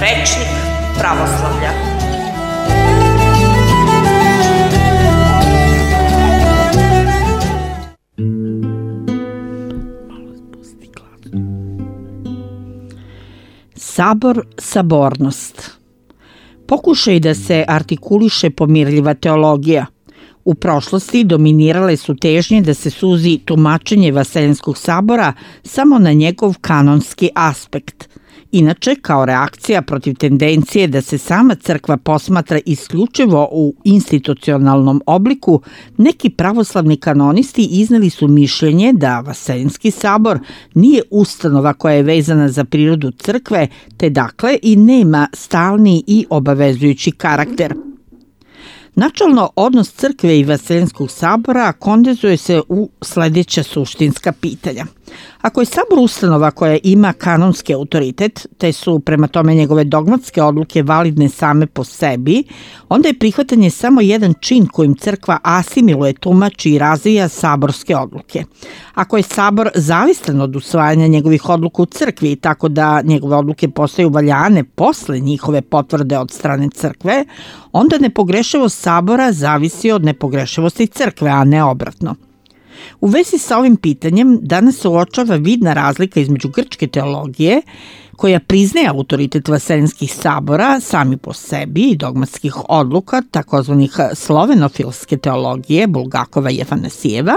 Rečnik pravoslavlja. Sabor, sabornost. Pokušaj da se artikuliše pomirljiva teologija. U prošlosti dominirale su težnje da se suzi tumačenje Vaseljenskog sabora samo na njegov kanonski aspekt. Inače, kao reakcija protiv tendencije da se sama crkva posmatra isključivo u institucionalnom obliku, neki pravoslavni kanonisti izneli su mišljenje da Vaseljenski sabor nije ustanova koja je vezana za prirodu crkve, te dakle i nema stalni i obavezujući karakter. Načelno, odnos crkve i Vaseljenskog sabora kondenzuje se u sledeća suštinska pitanja. Ako je sabor ustanova koja ima kanonski autoritet, te su prema tome njegove dogmatske odluke validne same po sebi, onda je prihvatanje samo jedan čin kojim crkva asimiluje, tumači i razvija saborske odluke. Ako je sabor zavistan od usvajanja njegovih odluka u crkvi, tako da njegove odluke postaju valjane posle njihove potvrde od strane crkve, onda nepogrešivost sabora zavisi od nepogrešivosti crkve, a ne obratno. U vezi sa ovim pitanjem danas se uočava vidna razlika između grčke teologije, koja priznaje autoritet vaseljenskih sabora sami po sebi i dogmatskih odluka, takozvanih slovenofilske teologije Bulgakova i Afanasijeva,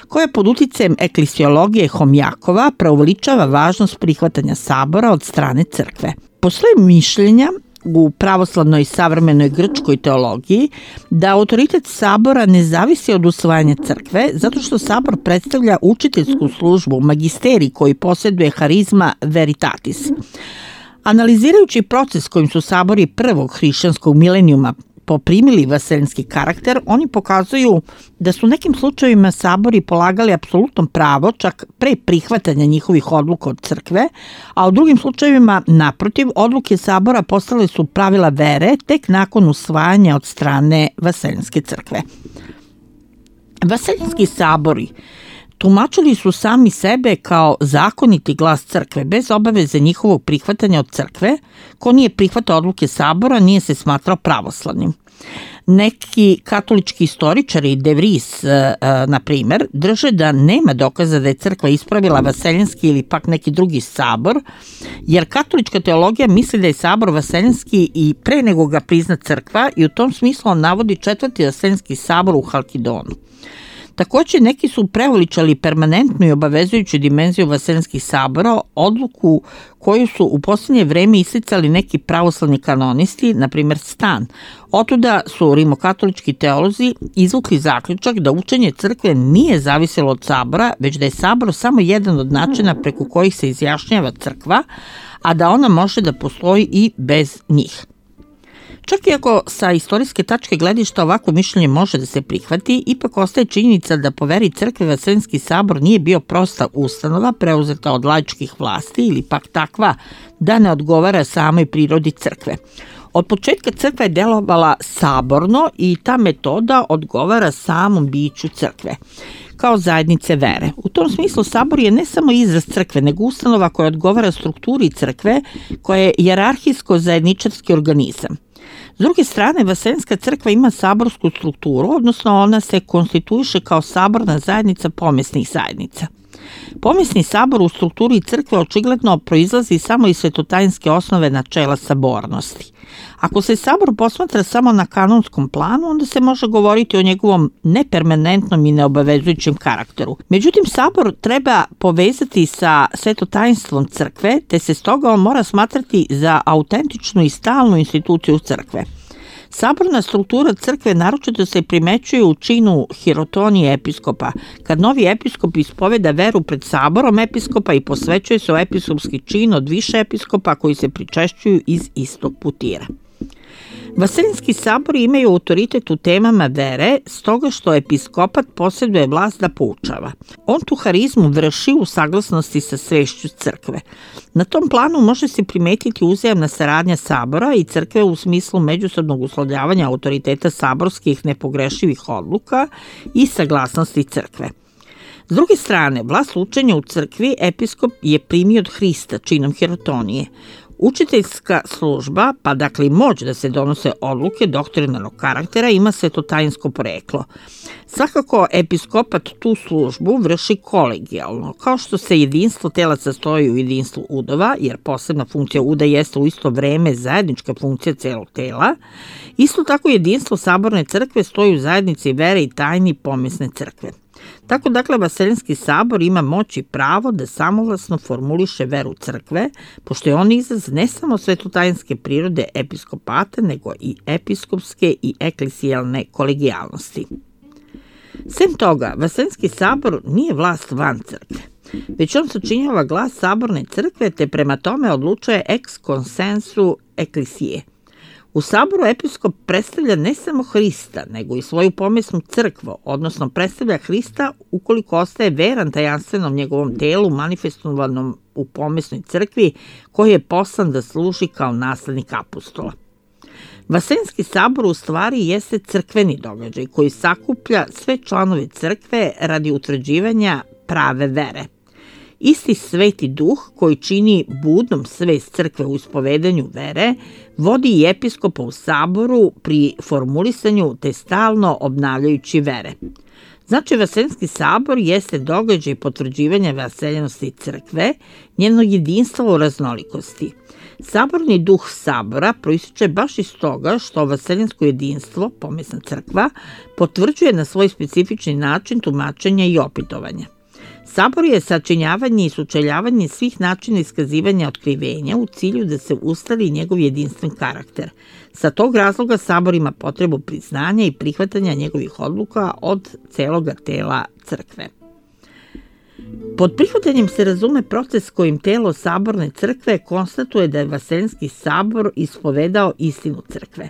koja pod uticajem eklesiologije Homjakova preuveličava važnost prihvatanja sabora od strane crkve. Postoje mišljenja u pravoslavnoj i savremenoj grčkoj teologiji da autoritet sabora ne zavisi od usvajanja crkve, zato što sabor predstavlja učiteljsku službu, magisterij koji posjeduje harizma veritatis. Analizirajući proces kojim su sabori prvog hrišćanskog milenijuma poprimili vaseljenski karakter, oni pokazuju da su u nekim slučajevima sabori polagali apsolutno pravo čak pre prihvatanja njihovih odluka od crkve, a u drugim slučajevima, naprotiv, odluke sabora postale su pravila vere tek nakon usvajanja od strane vaseljenske crkve. Vaseljenski sabori tumačili su sami sebe kao zakoniti glas crkve, bez obaveze njihovog prihvatanja od crkve. Ko nije prihvatao odluke sabora nije se smatrao pravoslavnim. Neki katolički istoričari, De Vries, na primer, drže da nema dokaza da je crkva ispravila vaseljenski ili pak neki drugi sabor, jer katolička teologija misli da je sabor vaseljenski i pre nego ga prizna crkva i u tom smislu on navodi četvrti vaseljenski sabor u Halkidonu. Takođe, neki su preuveličali permanentnu i obavezujuću dimenziju vaseljenskih sabora, odluku koju su u poslednje vreme isticali neki pravoslavni kanonisti, na primer Stan. Otuda su rimokatolički teolozi izvukli zaključak da učenje crkve nije zavisilo od sabora, već da je sabor samo jedan od načina preko kojih se izjašnjava crkva, a da ona može da postoji i bez njih. Čak i ako sa istorijske tačke gledišta ovako mišljenje može da se prihvati, ipak ostaje činjenica da po veri crkve Vaseljenski sabor nije bio prosta ustanova preuzeta od laičkih vlasti ili pak takva da ne odgovara samoj prirodi crkve. Od početka crkva je delovala saborno i ta metoda odgovara samom biću crkve kao zajednice vere. U tom smislu sabor je ne samo izraz crkve, nego ustanova koja odgovara strukturi crkve, koja je hijerarhijsko zajedničarski organizam. S druge strane, Vaseljenska crkva ima saborsku strukturu, odnosno ona se konstituiše kao saborna zajednica pomesnih zajednica. Pomesni sabor u strukturi crkve očigledno proizlazi samo iz svetotajinske osnove načela sabornosti. Ako se sabor posmatra samo na kanonskom planu, onda se može govoriti o njegovom nepermanentnom i neobavezujućem karakteru. Međutim, sabor treba povezati sa svetotajinstvom crkve, te se stoga on mora smatrati za autentičnu i stalnu instituciju crkve. Saborna struktura crkve naročito se primećuje u činu hirotonije episkopa, kad novi episkop ispoveda veru pred saborom episkopa i posvećuje se o episkopski čin od više episkopa koji se pričešćuju iz istog putira. Vaseljenski sabori imaju autoritet u temama vere, stoga što episkopat posjeduje vlast da poučava. On tu harizmu vrši u saglasnosti sa svešću crkve. Na tom planu može se primetiti uzajamna saradnja sabora i crkve u smislu međusobnog uslovljavanja autoriteta saborskih nepogrešivih odluka i saglasnosti crkve. S druge strane, vlast učenja u crkvi episkop je primio od Hrista činom hirotonije. Učiteljska služba, pa dakle i moć da se donose odluke doktrinarnog karaktera, ima svetotajinsko poreklo. Svakako, episkopat tu službu vrši kolegijalno, kao što se jedinstvo tela sastoji u jedinstvu udova, jer posebna funkcija uda jeste u isto vreme zajednička funkcija celog tela, isto tako jedinstvo saborne crkve stoji u zajednici vere i tajni pomesne crkve. Tako, dakle, Vaseljenski sabor ima moć i pravo da samovlasno formuliše veru crkve, pošto je on izraz ne samo svetotajinske prirode episkopata, nego i episkopske i eklesijalne kolegijalnosti. Sem toga, Vaseljenski sabor nije vlast van crkve, već on sačinjava glas saborne crkve, te prema tome odlučuje ex consensu eklesije. U saboru episkop predstavlja ne samo Hrista, nego i svoju pomesnu crkvu, odnosno predstavlja Hrista ukoliko ostaje veran tajanstvenom njegovom telu manifestovanom u pomesnoj crkvi, koji je poslan da služi kao naslednik apostola. Vaseljenski sabor u stvari jeste crkveni događaj koji sakuplja sve članove crkve radi utvrđivanja prave vere. Isti Sveti Duh koji čini budnom svest crkve u ispovedanju vere, vodi i episkopa u saboru pri formulisanju te stalno obnavljajući vere. Znači, Vaseljenski sabor jeste događaj potvrđivanja vaseljenosti crkve, njenog jedinstva u raznolikosti. Saborni duh sabora proističe baš iz toga što vaseljensko jedinstvo, pomesna crkva, potvrđuje na svoj specifični način tumačenja i opitovanja. Sabor je sačinjavanje i sučeljavanje svih načina iskazivanja otkrivenja u cilju da se ustali njegov jedinstven karakter. Sa tog razloga sabor ima potrebu priznanja i prihvatanja njegovih odluka od celoga tela crkve. Pod prihvatanjem se razume proces kojim telo saborne crkve konstatuje da je Vaseljenski sabor ispovedao istinu crkve.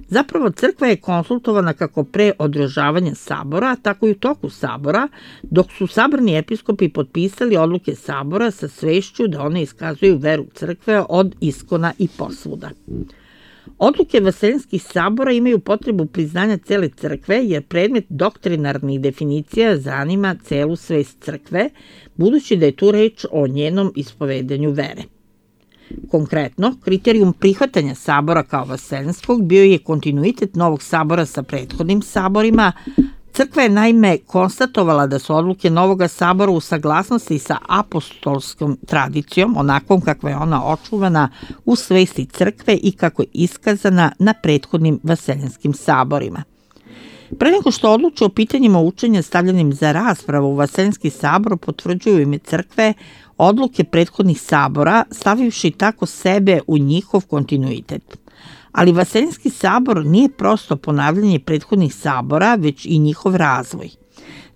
Zapravo, crkva je konsultovana kako pre održavanja sabora, tako i u toku sabora, dok su saborni episkopi potpisali odluke sabora sa svešću da one iskazuju veru crkve od iskona i posvuda. Odluke Vaseljenskih sabora imaju potrebu priznanja cele crkve, jer predmet doktrinarnih definicija zanima celu svest crkve, budući da je tu reč o njenom ispovedanju vere. Konkretno, kriterijum prihvatanja sabora kao vaseljenskog bio je kontinuitet novog sabora sa prethodnim saborima. Crkva je naime konstatovala da su odluke novoga sabora u saglasnosti sa apostolskom tradicijom, onakvom kakva je ona očuvana u svesti crkve i kako je iskazana na prethodnim vaseljenskim saborima. Pre nego što odluče o pitanjima učenja stavljenim za raspravu, Vaseljenski sabor potvrđuju ime crkve odluke prethodnih sabora, stavivši tako sebe u njihov kontinuitet. Ali Vaseljenski sabor nije prosto ponavljanje prethodnih sabora, već i njihov razvoj.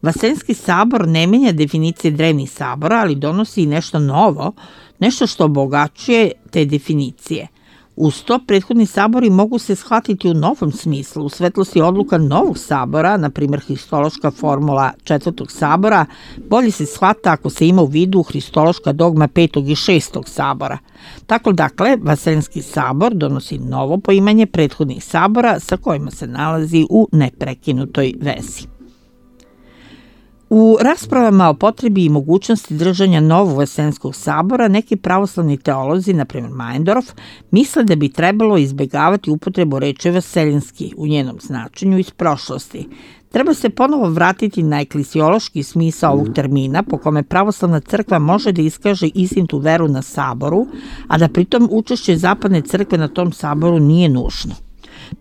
Vaseljenski sabor ne menja definicije drevnih sabora, ali donosi i nešto novo, nešto što obogaćuje te definicije. Uz to, prethodni sabori mogu se shvatiti u novom smislu, u svetlosti odluka novog sabora, na primjer hristološka formula četvrtog sabora, bolje se shvata ako se ima u vidu hristološka dogma petog i šestog sabora. Tako, dakle, Vaseljenski sabor donosi novo poimanje prethodnih sabora sa kojima se nalazi u neprekinutoj vezi. U raspravama o potrebi i mogućnosti držanja novog Vaseljenskog sabora, neki pravoslavni teolozi, na primjer Meinendorf, misle da bi trebalo izbegavati upotrebu reči vaseljenski u njenom značenju iz prošlosti. Treba se ponovo vratiti na eklesiološki smisao ovog termina, po kome pravoslavna crkva može da iskaže istinitu veru na saboru, a da pritom učešće zapadne crkve na tom saboru nije nužno.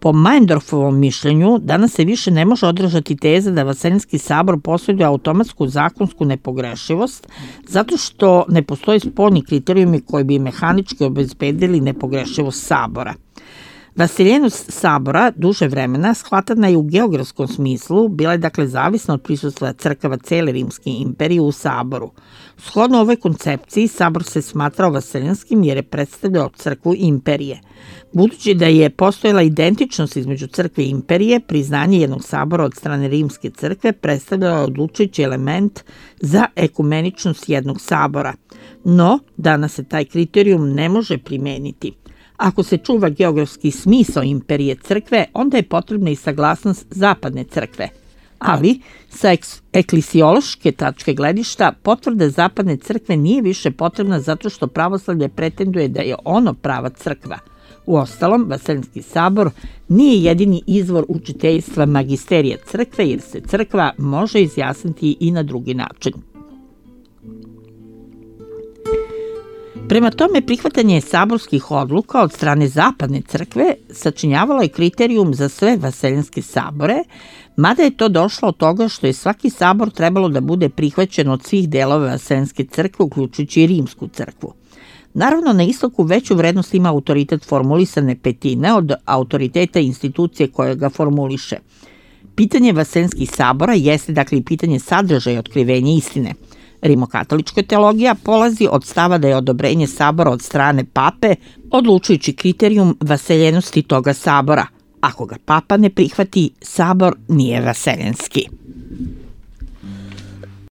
Po Meinendorfovom mišljenju, danas se više ne može održati teza da Vaseljenski sabor posjeduje automatsku zakonsku nepogrešivost, zato što ne postoje spoljni kriterijumi koji bi mehanički obezbedili nepogrešivost sabora. Vaseljenost sabora duže vremena shvatana je u geografskom smislu, bila je dakle zavisna od prisustva crkava cele Rimske imperije u saboru. Shodno ovoj koncepciji, sabor se smatrao vaseljenskim jer je predstavljao crkvu imperije. Budući da je postojala identičnost između crkve i imperije, priznanje jednog sabora od strane Rimske crkve predstavljalo odlučujući element za ekumeničnost jednog sabora. No, danas se taj kriterijum ne može primeniti. Ako se čuva geografski smisao imperije crkve, onda je potrebna i saglasnost zapadne crkve. Ali, sa eklesiološke tačke gledišta, potvrda zapadne crkve nije više potrebna zato što pravoslavlje pretenduje da je ono prava crkva. Uostalom, Vaseljenski sabor nije jedini izvor učiteljstva magisterija crkve, jer se crkva može izjasniti i na drugi način. Prema tome, prihvatanje saborskih odluka od strane zapadne crkve sačinjavalo je kriterijum za sve vaseljenske sabore, mada je to došlo od toga što je svaki sabor trebalo da bude prihvaćen od svih delova vaseljenske crkve, uključujući i rimsku crkvu. Naravno, na istoku veću vrednost ima autoritet formulisane petine od autoriteta institucije koja ga formuliše. Pitanje vaseljenskih sabora jeste dakle i pitanje sadržaja i otkrivenja istine. Rimokatolička teologija polazi od stava da je odobrenje sabora od strane pape odlučujući kriterijum vaseljenosti toga sabora. Ako ga papa ne prihvati, sabor nije vaseljenski.